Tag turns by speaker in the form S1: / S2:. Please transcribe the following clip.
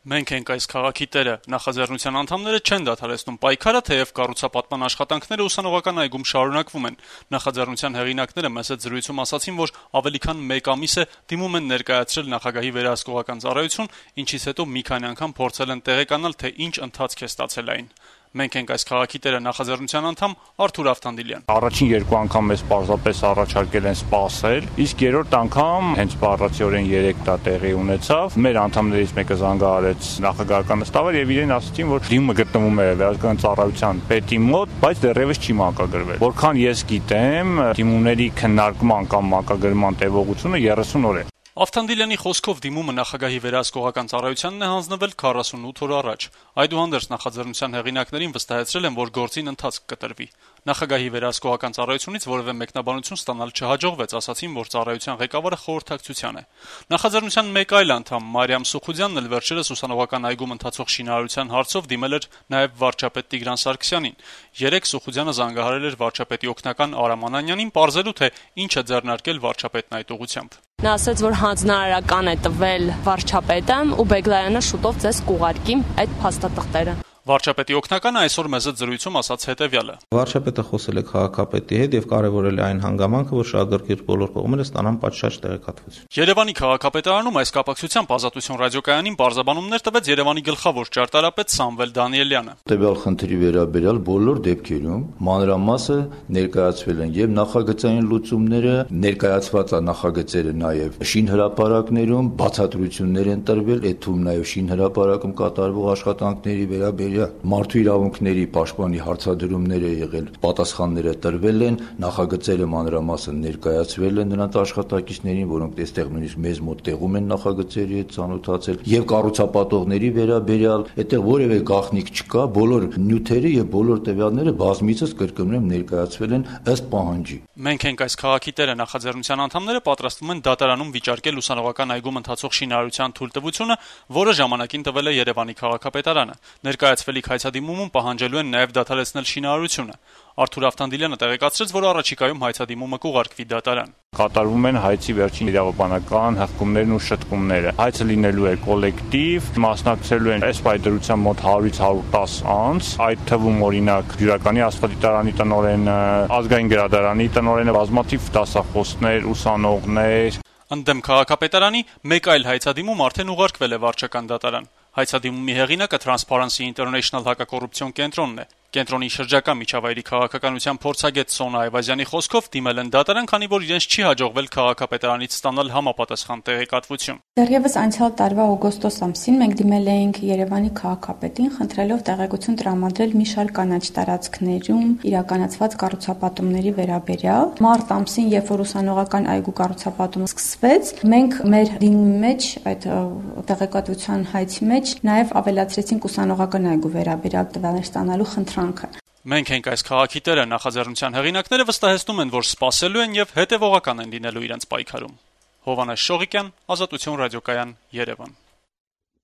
S1: Մենք ենք այս քաղաքի տերը, նախաձեռնության անդամները չեն դադարեցնում պայքարը, թեև կառուցապատման աշխատանքները ուսանողական այգում շարունակվում են։ Նախաձեռնության հեղինակները մեծ զրույցում ասացին, որ ավելի քան 1 ամիս է դիմում են ներկայացրել նախագահի վերահսկողական ծառայություն, ինչից հետո մի քանի անգամ փորձել են տեղեկանալ, թե ինչ ընթացք է ստացել այն։ Մենք ենք այս քաղաքի տերը նախաձեռնության անդամ Արթուր Ավթանդիլյան։
S2: Առաջին 2 անգամ մեզ պարզապես առաջարկել են սպասել, իսկ երրորդ անգամ հենց բառացիորեն 3 դա տեղի ունեցավ։ Մեր անդամներից մեկը զանգահարեց նախագահական նստավար եւ իրեն ասացին, որ դիմումը գտնվում է վերահսկողական ծառայության պետի մոտ, բայց դեռևս չի մանկագրվել։ Որքան ես գիտեմ, դիմումների քննարկման կամ մանկագրման տևողությունը 30 օր է։
S1: Ավթանդիլյանի խոսքով դիմումը նախագահի վերահսկողական ծառայությանն է հանձնվել 48 օր առաջ։ Այդուհանդերձ նախաձեռնության հեղինակներին վստահեցրել են, որ գործին ընթացք կտրվի։ Նախագահի վերահսկողական ծառայությունից որևէ մեկնաբանություն ստանալ չհաջողվեց, ասացին, որ ծառայության ղեկավարը խորհրդակցության է։ Նախաձեռնության մեկ այլ անդամ Մարիամ Սուխուդյանն էլ վերջերս ուսանողական այգում ընթացող շինարարության հարցով դիմել էր նաև վարչապետ Տիգրան Սարգսյանին։ Երեկ Սուխուդյանը զանգահարել էր վարչապետի օգնական Արամ Անանյանին, պարզելու թե ինչ է ձեռնարկել վարչապետն այդ ուղղությամբ։
S3: Նա ասաց, որ հանձնարարական է տվել վարչապետը ու Բեգլարյանը շուտով ձեզ կուղարկի այդ փաստաթղթերը։
S1: Վարչապետի օգնականը այսօր մեծ զրույցում ասաց հետևյալը.
S4: Վարչապետը խոսել է քաղաքապետի հետ եւ կարեւորել է այն հանգամանքը, որ շահագրգիռ բոլոր կողմերը ստանան պատշաճ տեղեկատվություն։
S1: Երևանի քաղաքապետարանում այս կապակցությամբ Ազատություն ռադիոկայանին բարձաբանումներ տվեց Երևանի գլխավոր ճարտարապետ Սամվել Դանիելյանը։
S5: Տվյալ խնդրի վերաբերյալ բոլոր դեպքերում մանրամասը ներկայացվել են եւ նախագծային լուծումները, ներկայացված նախագծերը նաեւ շինհրապարակներում բացատրություններ են տրվել, այդ թվում նաեւ շինհրապարակում կատարվող աշխատանքների վերաբերյալ մարդու իրավունքների պաշտպանի հարցադրումները եղել, պատասխանները տրվել են, նախագծերը մանրամասն ներկայացվել են նրանց աշխատակիցներին, որոնք այստեղ նույնիսկ մեզ մոտ տեղում են նախագծերի հետ ծանոթացել, եւ կառուցապատողների վերաբերյալ այդտեղ որևէ գաղտնիք չկա, բոլոր նյութերը եւ բոլոր տվյալները բազմիցս կրկնում ներկայացվել են ըստ պահանջի։
S1: Մենք ենք այս քաղաքի տերը նախաձեռնության անդամները պատրաստվում են դատարանում վիճարկել ուսանողական այգում ընթացող շինարարության թույլտվությունը, որը ժամանակին տվել է Երևանի քաղաքապետարանը։ Ներկայացվելիք հայցադիմումում պահանջելու են նաև դադարեցնել շինարարությունը։ Արթուր Ավթանդիլյանը տեղեկացրեց, որ առաջիկայում հայցադիմումը կուղարկվի դատարան։
S2: Կատարվում են հայցի վերջին իրավաբանական հղկումներն ու շտկումները։ Հայցը լինելու է կոլեկտիվ, մասնակցելու են այս պայդրության մոտ 100-ից 110 անձ, այդ թվում օրինակ Յուրականի աստղադիտարանի տնօրենը, ազգային գրադարանի տնօրենը, բազմաթիվ դասախոսներ, ուսանողներ։
S1: Ընդդեմ քաղաքապետարանի մեկ այլ հայցադիմում արդեն ուղարկվել է վարչական դատարան։ Հայցադիմումի հեղինակը Transparency International հակակոռուպցիոն կենտրոնն է։ Կենտրոնի շրջակա միջավայրի քաղաքականության փորձագետ Սոնա Այվազյանի խոսքով դիմել են դատարան, քանի որ իրենց չի հաջողվել քաղաքապետարանից ստանալ համապատասխան տեղեկատվություն։
S6: Դեռևս անցյալ տարվա օգոստոս ամսին մենք դիմել էինք Երևանի քաղաքապետին, խնդրելով տեղեկություն տրամադրել մի շարք կանաչ տարածքներում իրականացված կառուցապատումների վերաբերյալ։ Մարտ ամսին, երբ որ ուսանողական այգու կառուցապատումը սկսվեց, մենք մեր դիմումի մեջ, այդ տեղեկատվության հայցի մեջ նաև ավելացրեցինք ուսանողական այգու վերաբերյալ տվյալներ ստանալու խնդրանքը։
S1: Մենք ենք այս քաղաքի տերը նախաձեռնության հեղինակները վստահեցնում են, որ սպասելու են եւ հետեւողական են լինելու իրենց պայքարում։ Հովհաննես Շողիկյան, Ազատություն ռադիոկայան, Երևան։